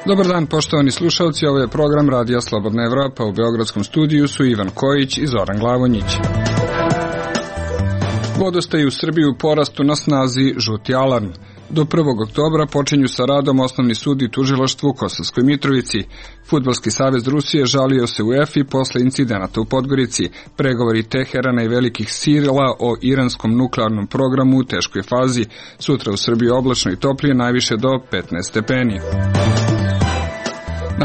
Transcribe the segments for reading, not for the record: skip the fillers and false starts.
Dobar dan, poštovani slušalci, ovo je program Radija Slobodna Evropa. U beogradskom studiju su Ivan Kojić i Zoran Glavonjić. Vodostaj u Srbiji u porastu, na snazi žuti alarm. Do 1. oktobra počinju sa radom Osnovni sud i tužilaštvo u Kosovskoj Mitrovici. Fudbalski savez Rusije žalio se UEFA posle incidenata u Podgorici. Pregovori Teherana i velikih sila o iranskom nuklearnom programu u teškoj fazi. Sutra u Srbiji oblačno i toplije, najviše do 15 stepeni.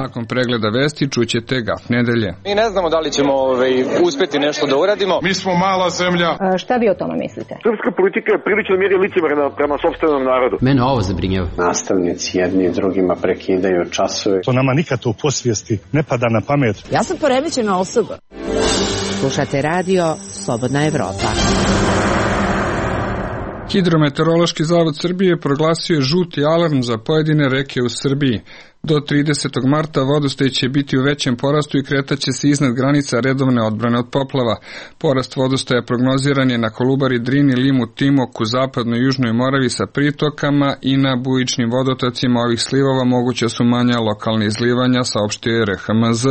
Nakon pregleda vesti čućete Gaf nedelje. Mi ne znamo da li ćemo uspeti nešto da uradimo. Mi smo mala zemlja. Šta vi o tome mislite? Srpska politika je prilično mjeri licemerna prema sopstvenom narodu. Mene ovo zabrinjava. Nastavnici jedni drugima prekidaju časove. To nama nikad u posvijesti ne pada na pamet. Ja sam poremećena osoba. Slušate radio Slobodna Evropa. Hidrometeorološki zavod Srbije proglasio je žuti alarm za pojedine reke u Srbiji. Do 30. marta vodostaj će biti u većem porastu i kretaće se iznad granica redovne odbrane od poplava. Porast vodostaja prognoziran je na Kolubari, Drini, Limu, Timoku, zapadnoj i južnoj Moravi sa pritokama i na bujičnim vodotocima ovih slivova moguća su manja lokalne izlivanja, saopštio RHMZ.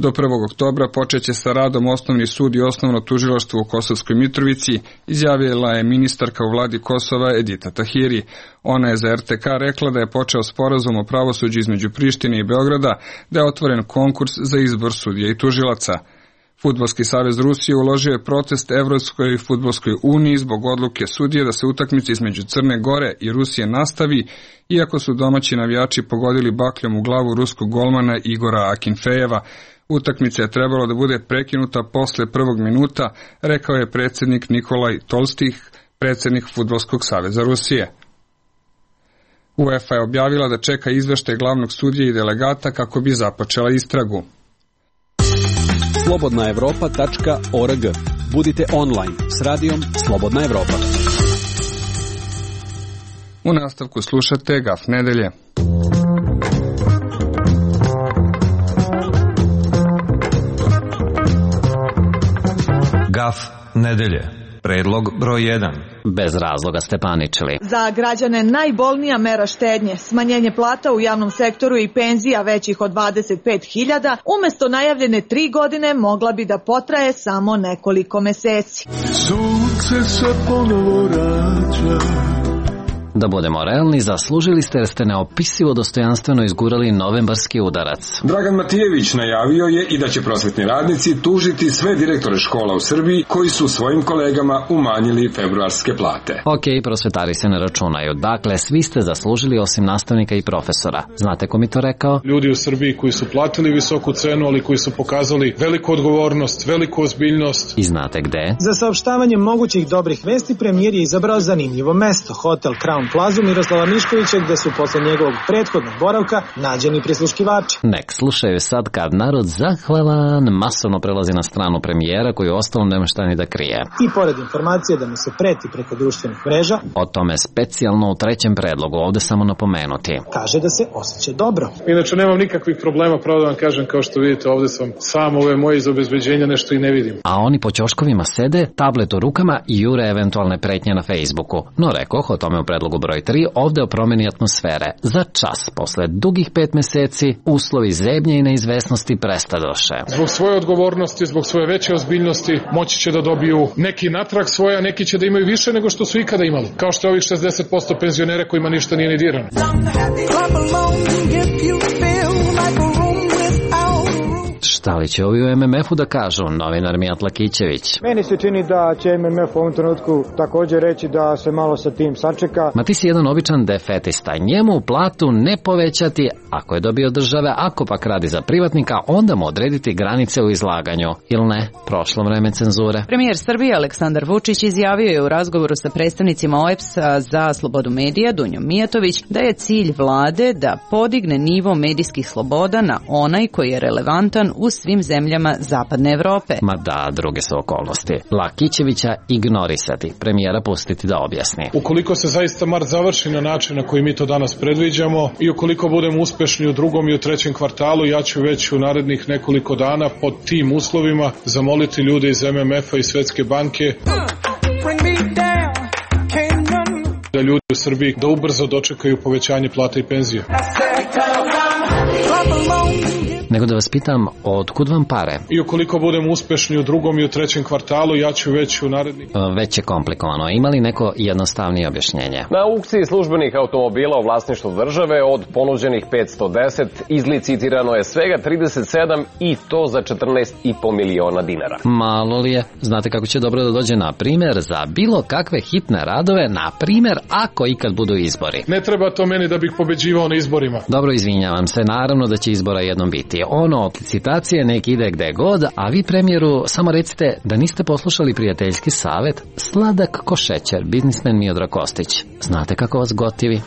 Do 1. oktobra počeće sa radom Osnovni sud i Osnovno tužilaštvo u Kosovskoj Mitrovici, izjavila je ministarka u vladi Kosova Edita Tahiri. Ona je za RTK rekla da je počeo sporazum o pravosuđu između Prištine i Beograda, da je otvoren konkurs za izbor sudija i tužilaca. Fudbalski savez Rusije uložio je protest Evropskoj fudbalskoj uniji zbog odluke sudije da se utakmica između Crne Gore i Rusije nastavi, iako su domaći navijači pogodili bakljom u glavu ruskog golmana Igora Akinfejeva. Utakmica je trebalo da bude prekinuta posle prvog minuta, rekao je predsjednik Nikolaj Tolstih, predsjednik Fudbalskog saveza Rusije. UEFA je objavila da čeka izveštaj glavnog sudije i delegata kako bi započela istragu. slobodnaevropa.org. Budite online s radijom Slobodna Evropa. U nastavku slušate Gaf nedelje. Gaf nedelje. Predlog broj 1. Bez razloga ste paničili. Za građane najbolnija mera štednje, smanjenje plata u javnom sektoru i penzija većih od 25.000, umesto najavljene 3 godine mogla bi da potraje samo nekoliko meseci. Sunce se ponovo rađa. Da budemo realni, zaslužili ste jer ste neopisivo dostojanstveno izgurali novembarski udarac. Dragan Matijević najavio je i da će prosvetni radnici tužiti sve direktore škola u Srbiji koji su svojim kolegama umanjili februarske plate. Ok, prosvetari se ne računaju. Dakle, svi ste zaslužili osim nastavnika i profesora. Znate ko mi to rekao? Ljudi u Srbiji koji su platili visoku cenu, ali koji su pokazali veliku odgovornost, veliku ozbiljnost. I znate gde? Za saopštavanje mogućih dobrih vesti premijer je izabrao zanimljivo mesto, hotel Crown Plazu Miroslava Miškovića, gde su posle njegovog prethodnog boravka nađeni prisluškivači. Nek slušaju sad kad narod zahvalan masovno prelazi na stranu premijera koji ostalo nema šta ni da krije. I pored informacije da mu se preti preko društvenih mreža, o tome specijalno u trećem predlogu, ovde samo napomenuti. Kaže da se osjeća dobro. Inače nemam nikakvih problema, pravo da vam kažem, kao što vidite ovde sam sam, ove moje iz obezbeđenja nešto i ne vidim. A oni po ćoškovima sede, tablet u rukama i jure eventualne pretnje na Facebooku. No rekoh o tome u predlogu broj 3, ovde o promeni atmosfere. Za čas, posle dugih 5 meseci, uslovi zebnje i neizvesnosti prestadoše. Zbog svoje odgovornosti, zbog svoje veće ozbiljnosti, moći će da dobiju neki natrag svoje, a neki će da imaju više nego što su ikada imali. Kao što je ovih 60% penzionera kojima ništa nije ni dirano. Šta li će ovi u MMF-u da kažu, novinar Mijat Lakićević? Meni se čini da će MMF u ovom trenutku također reći da se malo sa tim sačeka. Ma ti si jedan običan defetista, njemu platu ne povećati ako je dobio države, ako pak radi za privatnika, onda mu odrediti granice u izlaganju. Ili ne, prošlo vreme cenzure. Premijer Srbije Aleksandar Vučić izjavio je u razgovoru sa predstavnicima OEBS-a za slobodu medija Dunjom Mijatović da je cilj vlade da podigne nivo medijskih sloboda na onaj koji je relevantan u svim zemljama Zapadne Evrope. Ma da, druge su okolnosti. Lakićevića ignorisati, premijera pustiti da objasni. Ukoliko se zaista mart završi na način na koji mi to danas predviđamo i ukoliko budemo uspešni u drugom i u trećem kvartalu, ja ću već u narednih nekoliko dana pod tim uslovima zamoliti ljude iz MMF-a i Svetske banke da ljudi u Srbiji da ubrzo dočekaju povećanje plata i penzija. Nego da vas pitam, otkud vam pare? I ukoliko budemo uspešni u drugom i u trećem kvartalu, ja ću već u narednih... Već je komplikovano. Ima li neko jednostavnije objašnjenje? Na aukciji službenih automobila u vlasništvu države od ponuđenih 510 izlicitirano je svega 37 i to za 14,5 miliona dinara. Malo li je? Znate kako će dobro da dođe na primjer za bilo kakve hitne radove, na primjer ako ikad budu izbori. Ne treba to meni da bih pobeđivao na izborima. Dobro, izvinjavam se, naravno da će izbora jednom biti. Ono od licitacije nek ide gde god, a vi premijeru samo recite da niste poslušali prijateljski savjet, sladak ko šećer, biznismen Miodrag Kostić. Znate kako vas gotivi?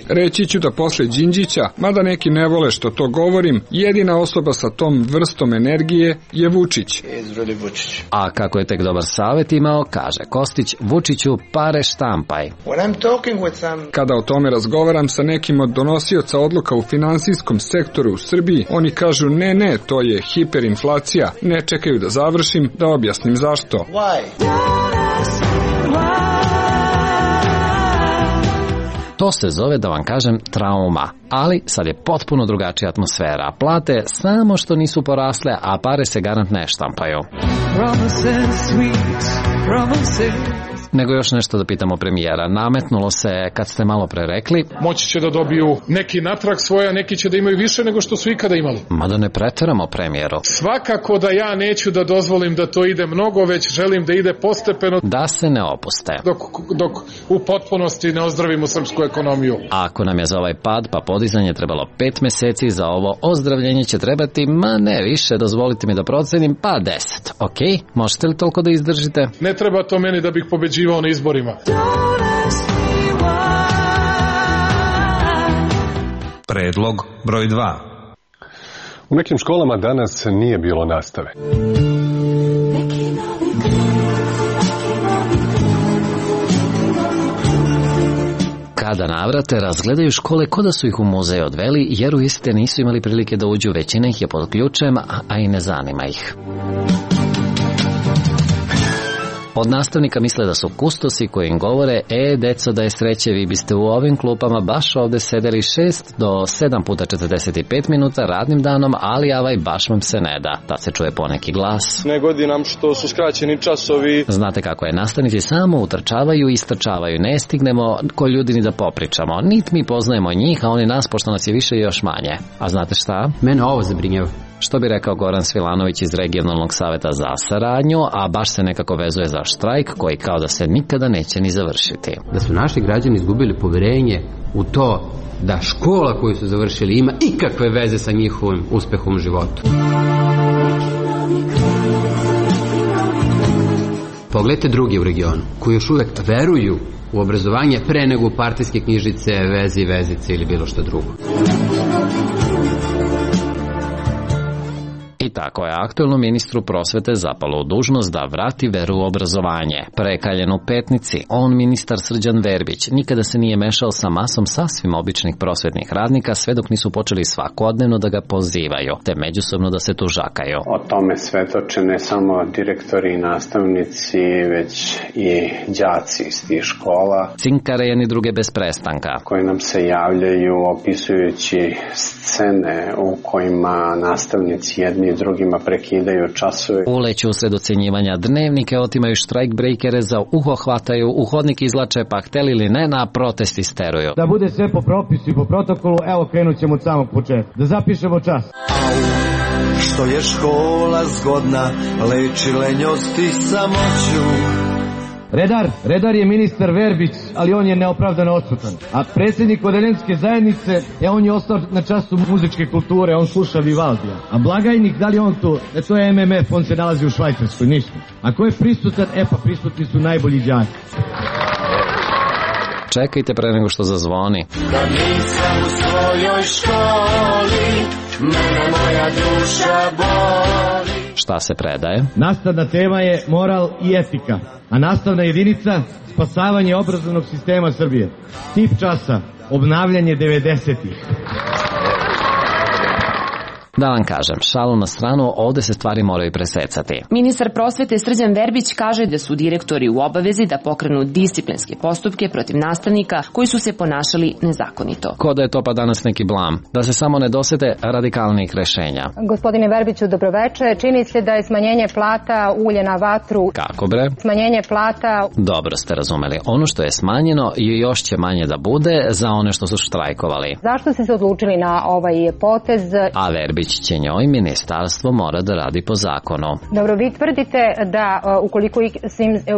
Reći ću da posle Đinđića, mada neki ne vole što to govorim, jedina osoba sa tom vrstom energije je Vučić. A kako je tek dobar savjet imao, kaže Kostić, Vučiću pare štampaj. Kada o tome razgovaram sa nekim od donosioca odluka u finansijskom sektoru u Srbiji, oni kažu ne, to je hiperinflacija, ne čekaju da završim, da objasnim zašto. To se zove, da vam kažem, trauma. Ali sad je potpuno drugačija atmosfera. Plate samo što nisu porasle, a pare se garant ne štampaju. Nego još nešto da pitamo premijera. Nametnulo se, kad ste malo pre rekli, moći će da dobiju neki natrag svoje, a neki će da imaju više nego što su ikada imali. Mada ne preteramo, premijeru. Svakako da ja neću da dozvolim da to ide mnogo, već želim da ide postepeno. Da se ne opuste. Dok u potpunosti ne ozdravimo srpsku ekonomiju. Ako nam je za ovaj pad pa podizanje trebalo 5 meseci, za ovo ozdravljenje će trebati, ne više, dozvolite mi da procenim, pa 10. Ok, možete li toliko da izdržite? Ne treba to meni da bih pobeđivao na izborima. Predlog broj 2. U nekim školama danas nije bilo nastave. Kada navrate, razgledaju škole ko da su ih u muzej odveli, jer u iste nisu imali prilike da uđu, većina ih je pod ključem, a i ne zanima ih. Od nastavnika misle da su kustosi koji im govore, deco, da je sreće, vi biste u ovim klupama baš ovde sedeli 6 do 7 puta 45 minuta radnim danom, ali baš vam se ne da. Tad se čuje poneki glas. Ne godi nam što su skraćeni časovi. Znate kako je, nastavnici samo utrčavaju i istrčavaju, ne stignemo ko ljudi ni da popričamo. Nit mi poznajemo njih, a oni nas, pošto nas je više i još manje. A znate šta? Mene ovo zabrinjava. Što bi rekao Goran Svilanović iz Regionalnog saveta za saradnju, a baš se nekako vezuje za štrajk koji kao da se nikada neće ni završiti. Da su naši građani izgubili poverenje u to da škola koju su završili ima ikakve veze sa njihovim uspehom u životu. Pogledajte drugi u regionu koji još uvek veruju u obrazovanje pre nego u partijske knjižice, veze i vezice ili bilo što drugo. I tako je aktuelnom ministru prosvete zapalo u dužnost da vrati veru u obrazovanje. Prekaljen u Petnici, on, ministar Srđan Verbić, nikada se nije mešao sa masom sasvim običnih prosvetnih radnika, sve dok nisu počeli svakodnevno da ga pozivaju, te međusobno da se tužakaju. O tome svedoče ne samo direktori i nastavnici, već i đaci iz tih škola. Cinkare jedni druge bez prestanka. Koji nam se javljaju opisujući scene u kojima nastavnici jedni drugima prekidaju časove. Uleću usred ocenjivanja dnevnike, otimaju štrajk brejkere, za uho hvataju, u hodnik izlače, pa hteli ili ne, na protest isteruju. Da bude sve po propisu i po protokolu, evo krenut ćemo od samog početka. Da zapišemo čas. Što je škola zgodna, leči lenjost i samoću. Redar je ministar Verbić, ali on je neopravdano odsutan. A predsjednik odeljenske zajednice, on je ostao na času muzičke kulture, on sluša Vivaldija. A blagajnik, da li on tu? To je MMF, on se nalazi u Švajcarskoj, ništa. A ko je prisutan? Pa prisutni su najbolji đaki. Čekajte pre nego što zazvoni. Da nisam u svojoj školi, mene moja duša boli. Šta se predaje? Nastavna tema je moral i etika, a nastavna jedinica spasavanje obrazovnog sistema Srbije. Tip časa obnavljanje 90-ih. Da vam kažem, šalu na stranu, ovde se stvari moraju presecati. Ministar prosvete Srđan Verbić kaže da su direktori u obavezi da pokrenu disciplinske postupke protiv nastavnika koji su se ponašali nezakonito. Ko da je to pa danas neki blam, da se samo ne dosete radikalnih rešenja. Gospodine Verbiću, dobroveče. Čini se da je smanjenje plata ulje na vatru. Kako bre? Smanjenje plata... Dobro ste razumeli. Ono što je smanjeno i još će manje da bude za one što su štrajkovali. Zašto ste se odlučili na ovaj potez? A Verbić će njoj ministarstvo mora da radi po zakonu. Dobro, vi tvrdite da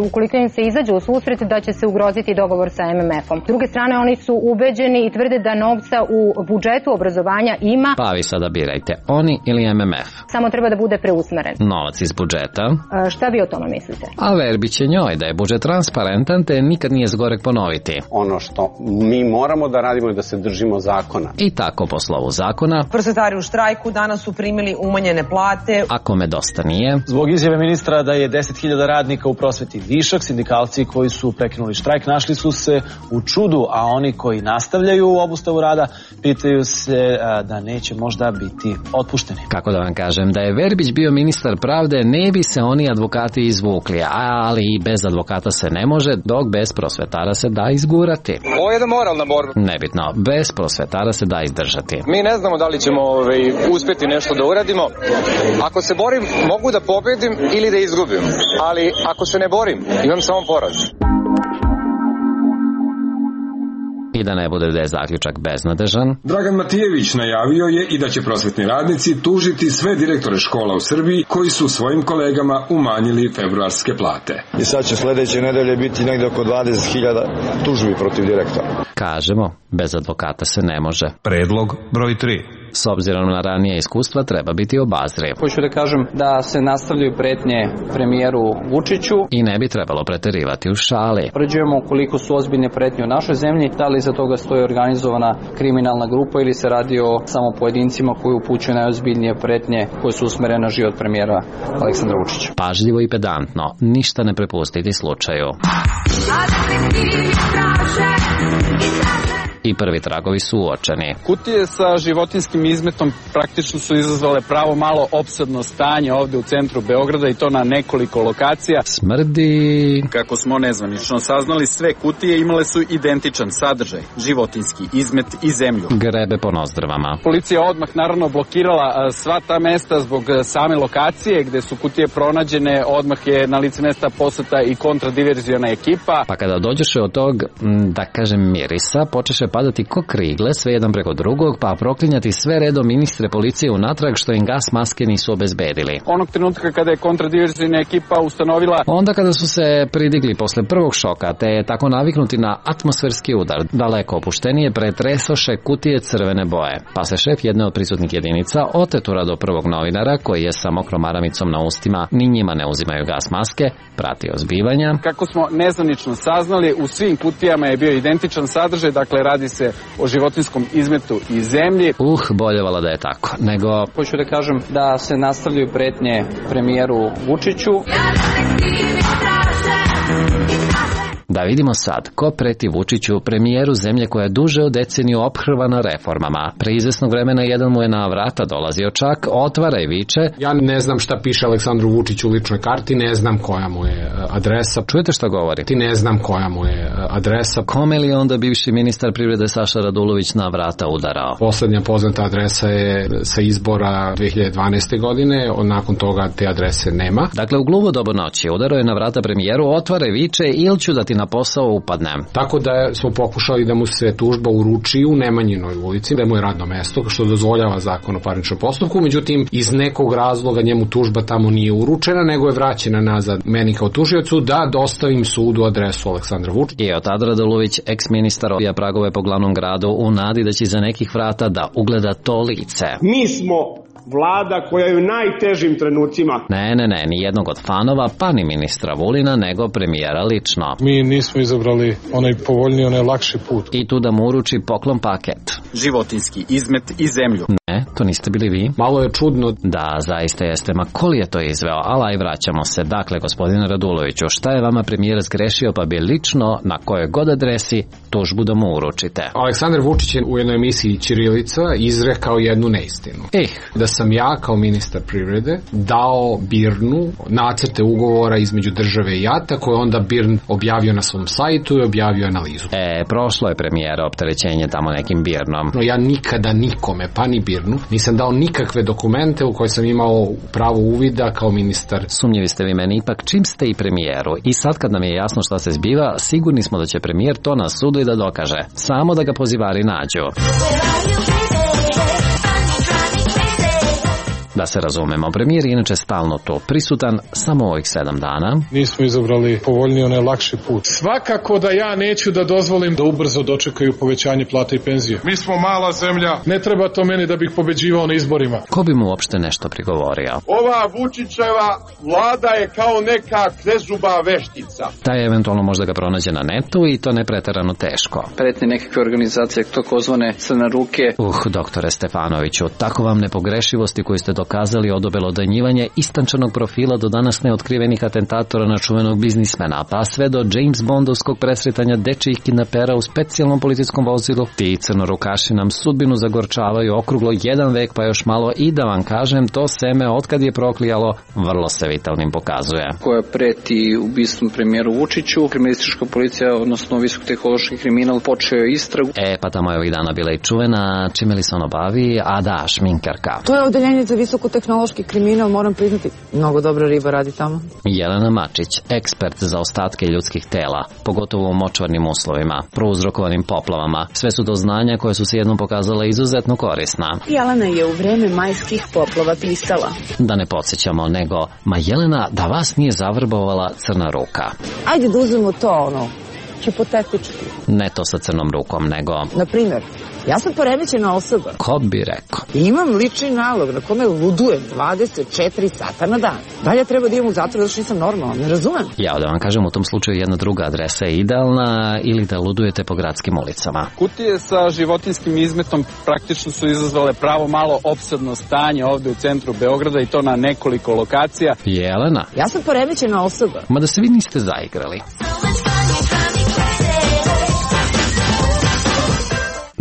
ukoliko im se izađe u susret da će se ugroziti dogovor sa MMF-om. S druge strane, oni su ubeđeni i tvrde da novca u budžetu obrazovanja ima. Pa vi sada birajte, oni ili MMF. Samo treba da bude preusmeren. Novac iz budžeta. Šta vi o tome mislite? A Verbić će njoj da je budžet transparentan, te nikad nije zgorek ponoviti. Ono što mi moramo da radimo je da se držimo zakona. I tako po slovu zakona. Prosvetari u štrajku danas su primili umanjene plate. Ako me dosta nije. Zbog izjave ministra da je 10.000 radnika u prosveti višak, sindikalci koji su prekinuli štrajk našli su se u čudu, a oni koji nastavljaju obustavu rada pitaju se da neće možda biti otpušteni. Kako da vam kažem, da je Verbić bio ministar pravde, ne bi se oni advokati izvukli, ali i bez advokata se ne može, dok bez prosvetara se da izgurati. Ovo je jedna moralna borba. Nebitno, bez prosvetara se da izdržati. Mi ne znamo da li ćemo uspjeti nešto da uradimo. Ako se borim, mogu da pobedim ili da izgubim, ali ako se ne borim, imam samo poraz. I da ne bude da je zaključak beznadežan. Dragan Matijević najavio je i da će prosvetni radnici tužiti sve direktore škola u Srbiji koji su svojim kolegama umanjili februarske plate. I sad će sledeće nedelje biti negde oko 20.000 tužbi protiv direktora. Kažemo, bez advokata se ne može. Predlog broj 3. S obzirom na ranije iskustva treba biti obazriv. Hoću da kažem da se nastavljaju pretnje premijeru Vučiću. I ne bi trebalo preterivati u šali. Uređujemo koliko su ozbiljne pretnje u našoj zemlji, da li iza toga stoji organizovana kriminalna grupa ili se radi o samo pojedincima koji upućuju najozbiljnije pretnje koje su usmerene na život premijera Aleksandra Vučića. Pažljivo i pedantno, ništa ne prepustiti slučaju. I prvi tragovi su uočeni. Kutije sa životinjskim izmetom praktično su izazvale pravo malo opsadno stanje ovde u centru Beograda i to na nekoliko lokacija. Smrdi. Kako smo nezvanično saznali, sve kutije imale su identičan sadržaj, životinjski izmet i zemlju. Grebe po nozdrvama. Policija odmah naravno blokirala sva ta mesta zbog same lokacije gde su kutije pronađene, odmah je na lice mesta poslata i kontradiverziona ekipa. Pa kada dođeše od tog, da kažem, mirisa, počeše padati ko krigle, sve jedan preko drugog, pa proklinjati sve redom ministre policije unatrag što im gas maske nisu obezbedili. Onog trenutka kada je kontradiverziona ekipa ustanovila... Onda kada su se pridigli posle prvog šoka, te tako naviknuti na atmosferski udar, daleko opuštenije pretresoše kutije crvene boje. Pa se šef jedne od prisutnih jedinica otetura do prvog novinara, koji je sa mokrom maramicom na ustima, ni njima ne uzimaju gas maske, pratio zbivanja. Kako smo nezvanično saznali, u svim kutijama je bio identičan sadržaj, dakle radi se o životinskom izmetu i zemlji. Boljevala da je tako, nego... Hoću da kažem da se nastavljaju pretnje premijeru Vučiću. Da vidimo sad, ko preti Vučiću, premijeru zemlje koja je duže od deceniju ophrvana reformama. Pre izvesnog vremena jedan mu je na vrata dolazio čak, otvara i viče. Ja ne znam šta piše Aleksandru Vučiću u ličnoj karti, ne znam koja mu je adresa. Čujete šta govori? Ti ne znam koja mu je adresa. Kome li onda bivši ministar privrede Saša Radulović na vrata udarao? Poslednja poznata adresa je sa izbora 2012. godine, nakon toga te adrese nema. Dakle, u gluvo dobu noći udarao je na vrata premijeru, otvara i viče, ili ću da ti na posao upadnem. Tako da smo pokušali da mu se tužba uruči u Nemanjinoj ulici, da mu je radno mesto, što dozvoljava zakon o parničnom postupku, međutim, iz nekog razloga njemu tužba tamo nije uručena, nego je vraćena nazad meni kao tužiocu da dostavim sudu adresu Aleksandra Vučića. I od tada Radulović, ex-ministar, obija pragove po glavnom gradu u nadi da će za nekih vrata da ugleda to lice. Mi smo Vlada koja je u najtežim trenucima. Ne, ni jednog od fanova, pa ni ministra Vulina, nego premijera lično. Mi nismo izabrali onaj povoljniji, onaj lakši put. I tu da mu uruči poklon paket. Životinski izmet i zemlju. Ne, To niste bili vi? Malo je čudno. Da, zaista jeste. Ma ko li je to izveo? Ala i vraćamo se. Dakle, gospodine Raduloviću, šta je vama premijer zgrešio pa bi lično na kojoj god adresi tužbu da mu uručite? Aleksandar Vučić je u jednoj emisiji Ćirilica izrekao jednu neistinu. Da sam ja kao ministar privrede dao BIRN-u nacrte ugovora između države i JAT-a koje onda BIRN objavio na svom sajtu i objavio analizu. Prošlo je premijera opterećenje tamo nekim BIRN-om. No ja nikada nikome, pa ni BIRN-u, nisam dao nikakve dokumente u koje sam imao pravo uvida kao ministar. Sumnjivi ste vi meni ipak čim ste i premijeru. I sad kad nam je jasno šta se zbiva, sigurni smo da će premijer to na sudu i da dokaže. Samo da ga pozivari nađu. Da se razumemo, premijer je inače stalno tu prisutan, samo ovih 7 dana. Nismo izabrali povoljniji, onaj lakši put. Svakako da ja neću da dozvolim da ubrzo dočekaju povećanje plata i penzije. Mi smo mala zemlja, ne treba to meni da bih pobeđivao na izborima. Ko bi mu uopšte nešto prigovorio? Ova Vučićeva vlada je kao neka krezuba veštica. Taj eventualno možda ga pronađe na netu i to ne preterano teško. Pretne nekakve organizacije, takozvane crne ruke. Doktore Stefanoviću, tako vam nepogrešivosti koju ste dokazali od obelodanjivanja istančanog profila do danas neotkrivenih atentatora na čuvenog biznismena, pa sve do James Bondovskog presretanja dečijih kidnapera u specijalnom policijskom vozilu. Ti crnorukaši nam sudbinu zagorčavaju okruglo 1 vek pa još malo i da vam kažem, to seme otkad je proklijalo vrlo se vitalnim pokazuje. Koja preti ubistvom premijeru Vučiću, kriminalistička policija, odnosno visokotehnološki kriminal, počeo je istragu. Pa tamo je ovih dana bila i čuvena, čime li se ono bavi, a da, šminkarka. To je odeljenje za visokotehnološki kriminal, moram priznati, mnogo dobra riba radi tamo. Jelena Mačić, ekspert za ostatke ljudskih tela, pogotovo u močvarnim uslovima, prouzrokovanim poplavama. Sve su to znanja koje su se jednom pokazala izuzetno korisna. Jelena je u vreme majskih poplava pisala. Da ne podsjećamo, nego, ma Jelena, da vas nije zavrbovala crna ruka. Ajde da uzmemo to, hipotetički. Ne to sa crnom rukom, nego... Na primjer, ja sam poremećena osoba. Ko bi rekao? Imam lični nalog na kome ludujem 24 sata na dan. Da li ja treba da idem u zatvor zato što nisam normalna? Ne razumem. Ja da vam kažem, u tom slučaju jedna druga adresa je idealna ili da ludujete po gradskim ulicama. Kutije sa životinjskim izmetom praktično su izazvale pravo malo opsadno stanje ovde u centru Beograda i to na nekoliko lokacija. Jelena? Ja sam poremećena osoba. Ma da se vi niste zaigrali.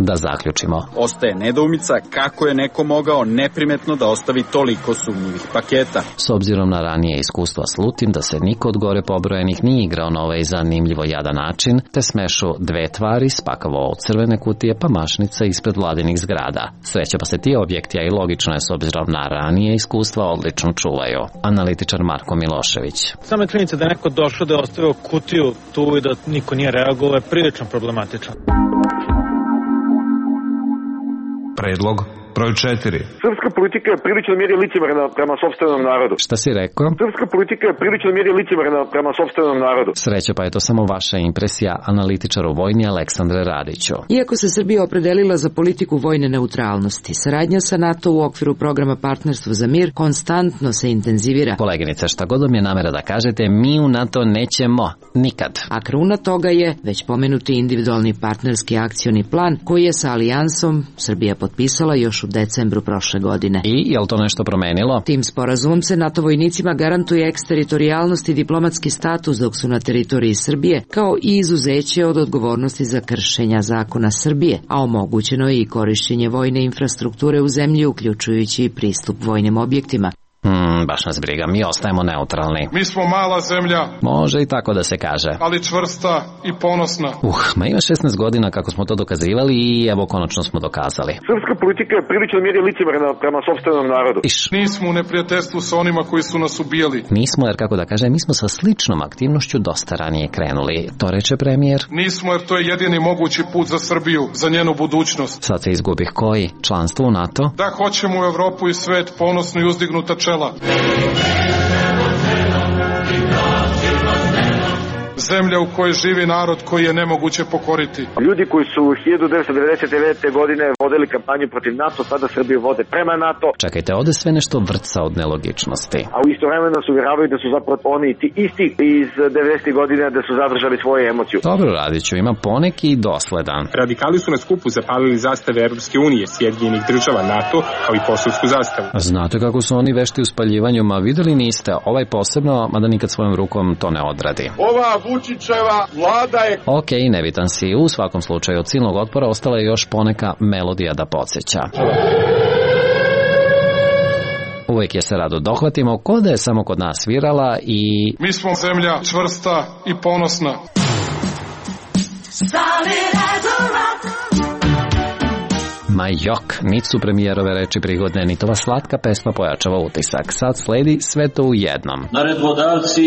Da zaključimo. Ostaje nedoumica kako je neko mogao neprimetno da ostavi toliko sumnjivih paketa. S obzirom na ranije iskustva slutim da se niko od gore pobrojenih nije igrao na ovaj zanimljivo jadan način, te smešu 2 tvari spakavo od crvene kutije pa mašnica ispred vladinih zgrada. Sreća pa se ti objekti, a i logično je s obzirom na ranije iskustva, odlično čuvaju. Analitičar Marko Milošević. Sama činjenica da je neko došao da je ostavio kutiju tu i da niko nije reagovao je prilično problematičan. Predlog broj 4. Srpska politika je prilično mjeri licemerna prema sopstvenom narodu. Šta si rekao? Srpska politika je prilično mjeri licemerna prema sopstvenom narodu. Sreća pa je to samo vaša impresija, analitičaru vojni Aleksandre Radiću. Iako se Srbija opredelila za politiku vojne neutralnosti, saradnja sa NATO u okviru programa Partnerstvo za mir konstantno se intenzivira. Koleginice, šta god vam je namera da kažete, mi u NATO nećemo nikad. A kruna toga je već pomenuti individualni partnerski akcioni plan koji je sa alijansom Srbija potpisala još u decembru prošle godine. I je li to nešto promenilo? Tim sporazumom se NATO vojnicima garantuje eksteritorijalnost i diplomatski status dok su na teritoriji Srbije, kao i izuzeće od odgovornosti za kršenja zakona Srbije, a omogućeno je i korišćenje vojne infrastrukture u zemlji, uključujući i pristup vojnim objektima. Baš nas briga, mi ostajemo neutralni. Mi smo mala zemlja. Može i tako da se kaže. Ali čvrsta i ponosna. Ma ima 16 godina kako smo to dokazivali i evo konačno smo dokazali. Srpska politika je prilično mjeri licemerna prema sopstvenom narodu. Nismo u neprijateljstvu sa onima koji su nas ubijali. Nismo, jer kako da kažem, mi smo sa sličnom aktivnošću dosta ranije krenuli. To reče premijer. Nismo, jer to je jedini mogući put za Srbiju, za njenu budućnost. Sad se izgubih koji? Članstvo u NATO? Da hoćemo u Evropu i svet ponosno i uzdignuta čela. zemlja u kojoj živi narod koji je nemoguće pokoriti. Ljudi koji su 1999. godine vodili kampanju protiv NATO, sada Srbiju vode prema NATO. Čekajte, ovde sve nešto vrca od nelogičnosti. A u istovremeno se uvjeravaju da su zapravo oni ti isti iz 90. godina da su zadržali svoje emociju. Dobro, Radiću, ima poneki i dosledan. Radikali su na skupu zapalili zastave Evropske unije, Sjedinjenih država, NATO, kao i kosovsku zastavu. Znate kako su oni vešti u spaljivanju, ma videli niste, ovaj posebno, mada nikad svojom rukom to ne odradi. Ova Vučićeva vlada je... Ok, nebitan si, u svakom slučaju od silnog otpora ostala je još poneka melodija da podsjeća. Uvijek je se rado dohvatimo, ko da je samo kod nas svirala i... Mi smo zemlja čvrsta i ponosna. Ma jok, niti su premijerove reči prigodne, ni tova slatka pesma pojačava utisak. Sad sledi sve to u jednom. Naredbodavci,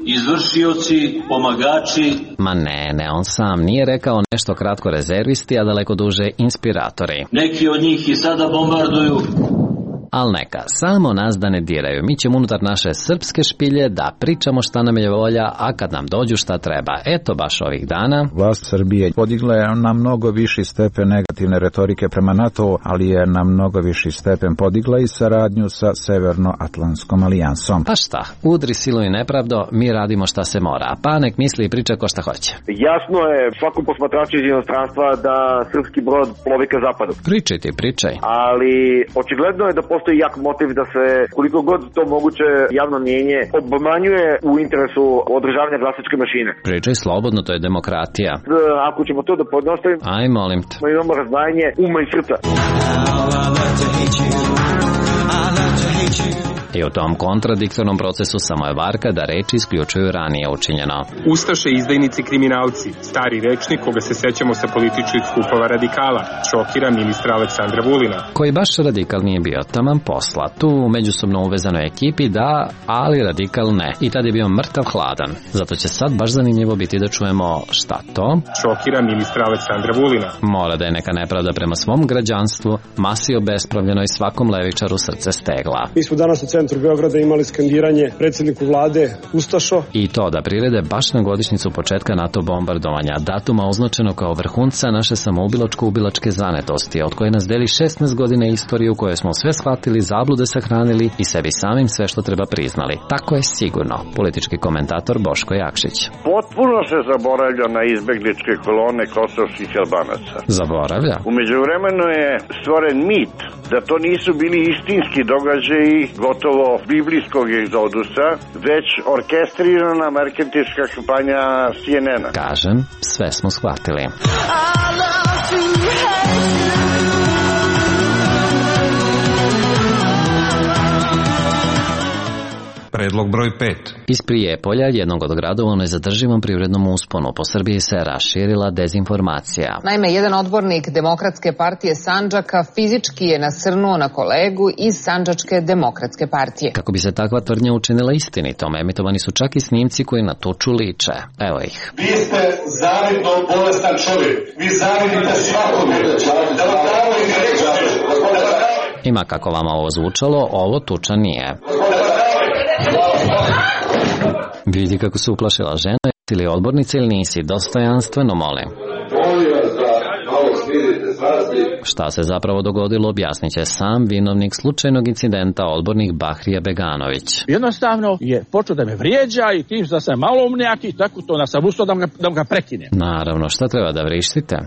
izvršioci, pomagači... Ma ne, on sam nije rekao nešto kratko rezervisti, a daleko duže inspiratori. Neki od njih i sada bombarduju. Al neka, samo nas da ne diraju. Mi ćemo unutar naše srpske špilje da pričamo šta nam je volja, a kad nam dođu šta treba. Eto baš ovih dana. Vlast Srbije podigla je na mnogo viši stepen negativne retorike prema NATO, ali je na mnogo viši stepen podigla i saradnju sa Severnoatlantskom alijansom. Pa šta, udri silu i nepravdo, mi radimo šta se mora, pa nek misli i priča ko šta hoće. Jasno je svakom posmatraču iz inostranstva da srpski brod plovi ka zapadu. Pričaj. Ali očigledno je da postoji jak motiv da se, koliko god to moguće, javno mnjenje obmanjuje u interesu održavanja glasačke mašine. Pričaj slobodno, to je demokratija. Ako ćemo to da podnostavimo, aj molim te. Imamo razdvajanje uma i srca. I u tom kontradiktornom procesu samo je varka da reči isključuju ranije učinjeno. Ustaše, izdajnici, kriminalci, stari rečnik koga se sećamo sa političkih skupova radikala, šokira ministra Aleksandra Vulina. Koji baš radikal nije bio taman posla, tu u međusobno uvezanoj ekipi da, ali radikal ne. I tad je bio mrtav hladan. Zato će sad baš zanimljivo biti da čujemo šta to. Šokira ministra Aleksandra Vulina. Mora da je neka nepravda prema svom građanstvu, masi obespravljeno i svakom levičaru srce stegla. Mi smo danas u centru Beograda imali skandiranje predsjedniku vlade Ustašo. I to da prirede baš na godišnjicu početka NATO bombardovanja, datuma označeno kao vrhunca naše samoubilačko-ubilačke zanetosti, od koje nas deli 16 godina istoriju u kojoj smo sve shvatili, zablude sahranili i sebi samim sve što treba priznali. Tako je sigurno, politički komentator Boško Jakšić. Potpuno se zaboravlja na izbegličke kolone kosovskih Albanaca. Zaboravlja? U međuvremenu je stvoren mit da to nisu bili istinski događaji gotovo biblijskog egzodusa, već orkestrirana marketinška kampanja CNN-a. Kažem, sve smo shvatili. Predlog broj 5. Iz Prijepolja, jednog od gradova u nezadrživom privrednom usponu, po Srbiji se raširila dezinformacija. Naime, jedan odbornik Demokratske partije Sandžaka fizički je nasrnuo na kolegu iz Sandžačke demokratske partije. Kako bi se takva tvrdnja učinila istinitom, emitovani su čak i snimci koji na tuču liče. Evo ih. Vi ste zavidno bolestan čovjek. Vi zavidite svakome. Da vam damo i reći. Ima kako vama ovo zvučalo, ovo tuča nije. Vidi kako se uplašila žena, ili odbornica ili nisi, dostojanstveno molim. Šta se zapravo dogodilo, objasnit će sam vinovnik slučajnog incidenta, odbornik Bahrija Beganović. Jednostavno je počeo da me vrijeđa i tim da sam maloumnjak i tako to sam ustao da ga prekinem. Naravno, šta treba da vrištite?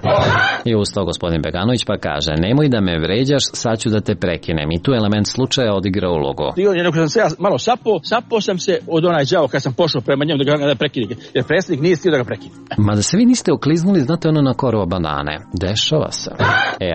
I ustao gospodin Beganović pa kaže, nemoj da me vređaš, sad ću da te prekinem. I tu element slučaja odigra ulogu. I on sam se ja malo sapao sam se od onaj đavo kad sam pošao prema njemu da ga prekinem, jer predsjednik nije stio da ga prekinem. Ma da se vi niste okliznuli, znate ono na korovo banane. Dešava se.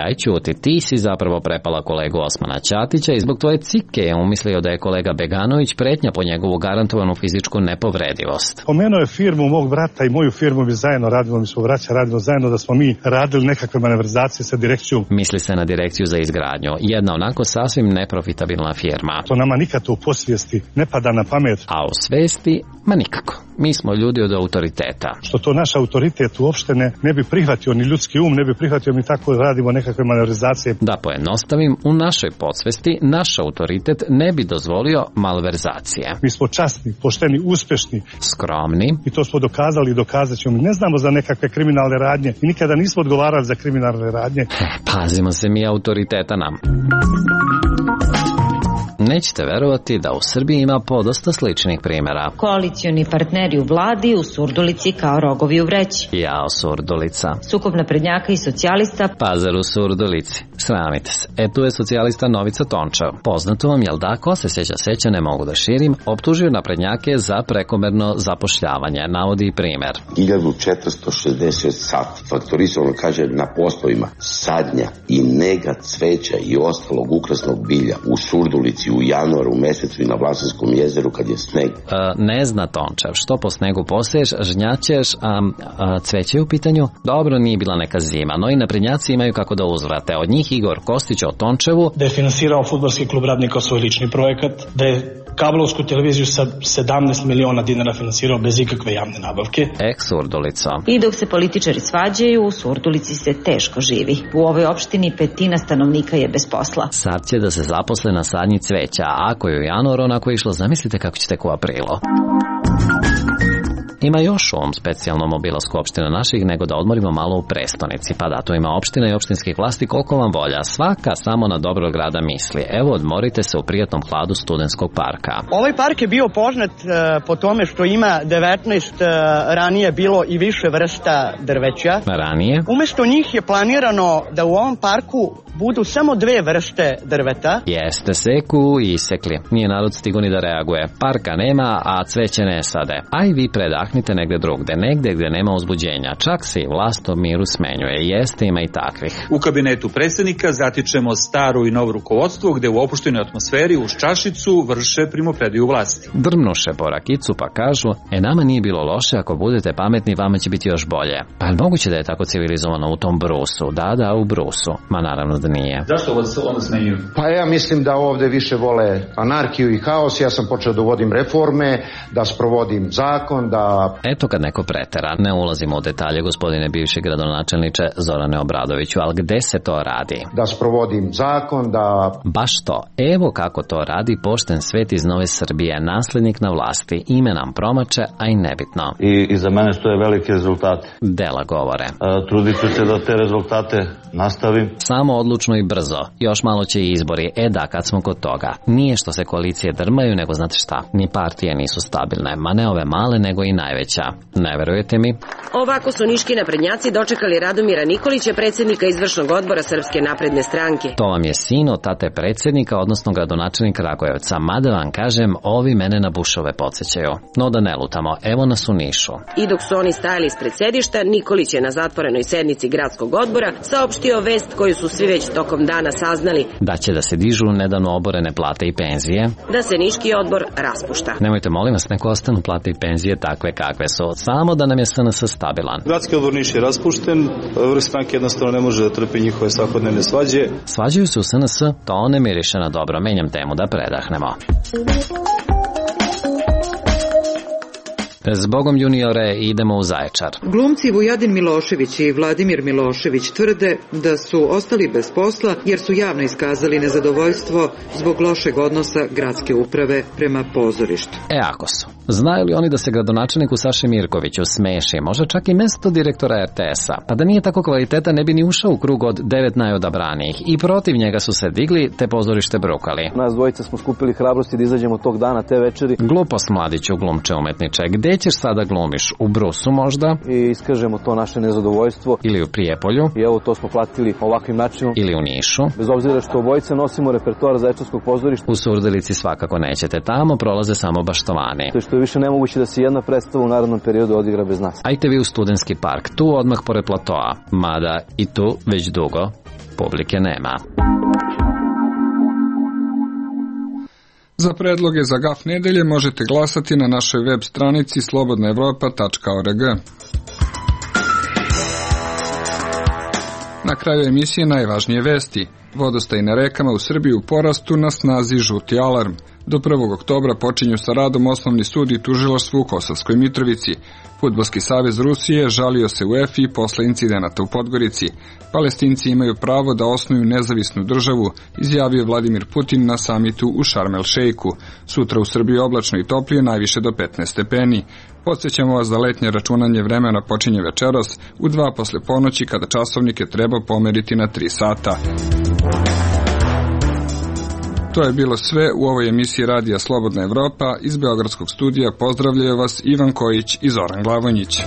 Aj ćuti, ti si zapravo prepala kolegu Osmana Ćatića i zbog tvoje cike je umislio da je kolega Beganović pretnja po njegovu garantovanu fizičku nepovredivost. Pomenuo je firmu mog brata i moju firmu, mi zajedno radimo, mi smo braća, radimo zajedno, da smo mi radili nekakve manevrizacije sa direkcijom. Misli se na direkciju za izgradnju, jedna onako sasvim neprofitabilna firma. To nama nikad u posvijesti ne pada na pamet. A u svesti, ma nikako. Mi smo ljudi od autoriteta. Što to naš autoritet uopšte ne bi prihvatio, ni ljudski um ne bi prihvatio, mi tako radimo nekakve manevrizacije. Da pojednostavim, u našoj podsvesti naš autoritet ne bi dozvolio malverzacije. Mi smo časni, pošteni, uspešni, skromni i to smo dokazali i dokazat ćemo. Mi ne znamo za nekakve kriminalne radnje i nikada nismo odgovarali za kriminalne radnje. Pazimo se mi autoriteta nam. Nećete verovati da u Srbiji ima podosta sličnih primjera. Koalicioni partneri u vladi u Surdulici kao rogovi u vreći. Jao Surdulica. Sukob naprednjaka i socijalista. Pazar u Surdulici. Sramite se. Tu je socijalista Novica Tončev. Poznato vam, jel da, ko se seća, ne mogu da širim, optužio naprednjake za prekomerno zapošljavanje. Navodi primjer. 1460 sati faktorisano, kaže, na poslovima sadnja i nega cveća i ostalog ukrasnog bilja u Surdulici u januaru mesecu i na Vlasanskom jezeru kad je sneg. Ne zna Tončev, što po snegu poseješ, žnjaćeš, cveće je u pitanju? Dobro, nije bila neka zima, no i naprednjaci imaju kako da uzvrate. Od njih Igor Kostić o Tončevu. Da je finansirao fudbalski klub Radnika svoj lični projekat, da je kablovsku televiziju sa 17 miliona dinara finansirao bez ikakve javne nabavke. Surdulica. I dok se političari svađaju, u Surdulici se teško živi. U ovoj opštini 1/5 stanovnika je bez posla. Sad će da se zaposle na sadnji cveća, a ako je u januaru onako išlo, zamislite kako će tek u aprilu. Ima još u ovom specijalnom obilasku opština naših, nego da odmorimo malo u prestonici. Pa da, tu ima opština i opštinskih vlasti koliko vam volja. Svaka samo na dobro grada misli. Evo, odmorite se u prijatnom hladu Studentskog parka. Ovaj park je bio poznat po tome što ima 19 ranije bilo i više vrsta drveća. Ranije? Umesto njih je planirano da u ovom parku budu samo 2 vrste drveta. Jeste, seku i isekli. Nije narod stigo ni da reaguje. Parka nema, a cveće ne sade. A i vi predahnite negde drugde, negde gde nema uzbuđenja. Čak se i vlast o miru smenjuje. Jeste, ima i takvih. U kabinetu predsjednika zatičemo staro i novo rukovodstvo gde u opuštenoj atmosferi uz čašicu vrše primopredaju vlasti. Drmnuše po rakicu pa kažu, nama nije bilo loše, ako budete pametni vama će biti još bolje. Pa je moguće da je tako civilizovano u tom Brusu? Da, u Brusu. Ma naravno da nije. Zašto vas onda smenjuju? Pa ja mislim da ovde više vole anarhiju i haos. Ja sam počeo da uvodim reforme, da sprovodim zakon, da... Eto kad neko pretera, ne ulazimo u detalje, gospodine bivši gradonačelniče Zorane Obradoviću, ali gde se to radi? Da sprovodim zakon, da... Baš to. Evo kako to radi pošten svet iz Nove Srbije, naslednik na vlasti. Ime nam promače, a i nebitno. I za mene što je veliki rezultat. Dela govore. Trudit ću se da te rezultate nastavim. Samo odlučno i brzo. Još malo će i izbori. Da, kad smo kod toga. Nije što se koalicije drmaju, nego znate šta? Ni partije nisu stabilne. Ma ne ove male, nego i najveća. Ne verujete mi? Ovako su niški naprednjaci dočekali Radomira Nikolića, predsjednika izvršnog odbora Srpske napredne stranke. To vam je sin od tate predsjednika, odnosno gradonačelnika Kragujevca. Mada vam kažem, ovi mene na Bušove podsjećaju. No da ne lutamo, evo nas u Nišu. I dok su oni stajali ispred sedišta, Nikolić je na zatvorenoj sednici gradskog odbora saopštio vest koju su svi već tokom dana saznali. Da će da se dižu nedavno oborene plate i penzije. Da se niški odbor raspušta. Nemojte, molim vas, neko ostanu plate i penzije takve kakve su. Samo da nam je SNS stabilan. Gradski odbor Niš je raspušten, vrh stranke jednostavno ne može da trpi njihove svakodnevne svađe. Svađaju se u SNS, to ne miriše na dobro. Menjam temu da predahnemo. Zbogom juniore, idemo u Zaječar. Glumci Vujadin Milošević i Vladimir Milošević tvrde da su ostali bez posla jer su javno iskazali nezadovoljstvo zbog lošeg odnosa gradske uprave prema pozorištu. Ako su. Znaju li oni da se gradonačelniku Saši Mirkoviću smeši, možda čak i mesto direktora RTS-a? Pa da nije tako kvaliteta, ne bi ni ušao u krug od 9 najodabranijih. I protiv njega su se digli, te pozorište brukali. Nas dvojica smo skupili hrabrosti da izađemo tog dana, te večeri. Glupost, mladiću, glumče umetniče. Gde ćeš sada glumiš? U Brusu možda? I iskažemo to naše nezadovoljstvo. Ili u Prijepolju? I evo to smo platili ovakvim načinom. Ili u Nišu? Bez obzira što obojice nosimo repertoar Zaječarskog pozorišta. U Surdulici svakako nećete. Tamo prolaze samo baštovani. To je što je više nemoguće da se jedna predstava u narednom periodu odigra bez nas. Ajte vi u Studentski park, tu odmah pored platoa. Mada i tu već dugo publike nema. Za predloge za GAF nedelje možete glasati na našoj web stranici slobodnaevropa.org. Na kraju emisije najvažnije vesti. Vodostaj na rekama u Srbiji u porastu, na snazi žuti alarm. Do 1. oktobra počinju sa radom osnovni sud i tužilaštvo u Kosovskoj Mitrovici. Fudbalski savez Rusije žalio se UEFA posle incidenata u Podgorici. Palestinci imaju pravo da osnuju nezavisnu državu, izjavio Vladimir Putin na samitu u Šarm el Šejku. Sutra u Srbiji oblačno i toplije, najviše do 15 stepeni. Podsjećamo vas da letnje računanje vremena počinje večeras u 2 posle ponoći, kada časovnike treba pomeriti na 3 sata. To je bilo sve u ovoj emisiji Radija Slobodna Evropa. Iz Beogradskog studija pozdravljaju vas Ivan Kojić i Zoran Glavonjić.